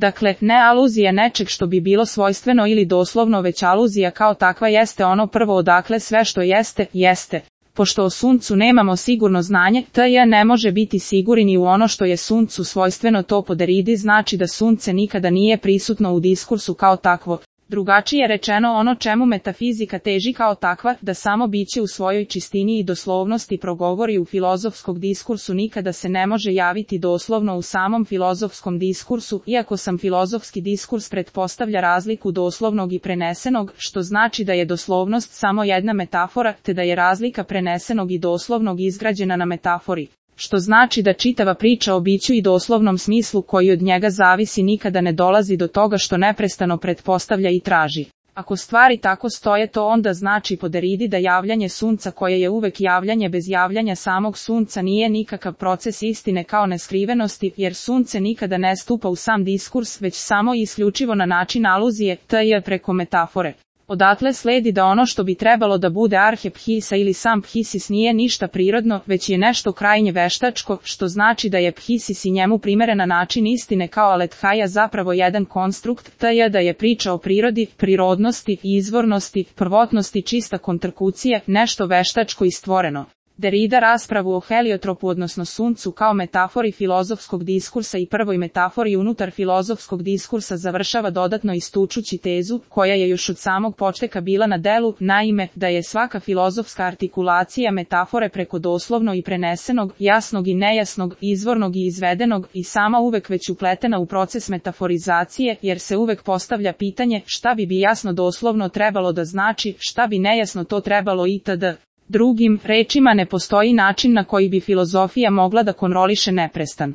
Dakle, ne aluzija nečeg što bi bilo svojstveno ili doslovno, već aluzija kao takva jeste ono prvo odakle sve što jeste, jeste. Pošto o suncu nemamo sigurno znanje, t.j. ne može biti siguran ni u ono što je suncu svojstveno, to po Deridi znači da sunce nikada nije prisutno u diskursu kao takvo. Drugačije rečeno, ono čemu metafizika teži kao takva, da samo biće u svojoj čistini i doslovnosti progovori u filozofskog diskursu, nikada se ne može javiti doslovno u samom filozofskom diskursu, iako sam filozofski diskurs pretpostavlja razliku doslovnog i prenesenog, što znači da je doslovnost samo jedna metafora, te da je razlika prenesenog i doslovnog izgrađena na metafori. Što znači da čitava priča o biću i doslovnom smislu koji od njega zavisi nikada ne dolazi do toga što neprestano pretpostavlja i traži. Ako stvari tako stoje, to onda znači po Deridi da javljanje sunca, koje je uvek javljanje bez javljanja samog sunca, nije nikakav proces istine kao neskrivenosti, jer sunce nikada ne stupa u sam diskurs, već samo i isključivo na način aluzije, t.j. preko metafore. Odatle sledi da ono što bi trebalo da bude arhe phisa ili sam phisis nije ništa prirodno, već je nešto krajnje veštačko, što znači da je phisis i njemu primerena način istine kao alethaja zapravo jedan konstrukt, t.j. da je priča o prirodi, prirodnosti, izvornosti, prvotnosti čista kontrkucija, nešto veštačko i stvoreno. Derida raspravu o heliotropu odnosno suncu kao metafori filozofskog diskursa i prvoj metafori unutar filozofskog diskursa završava dodatno istučući tezu, koja je još od samog početka bila na delu, naime, da je svaka filozofska artikulacija metafore preko doslovno i prenesenog, jasnog i nejasnog, izvornog i izvedenog i sama uvek već upletena u proces metaforizacije, jer se uvek postavlja pitanje šta bi jasno doslovno trebalo da znači, šta bi nejasno to trebalo itd. Drugim rečima, ne postoji način na koji bi filozofija mogla da kontroliše neprestan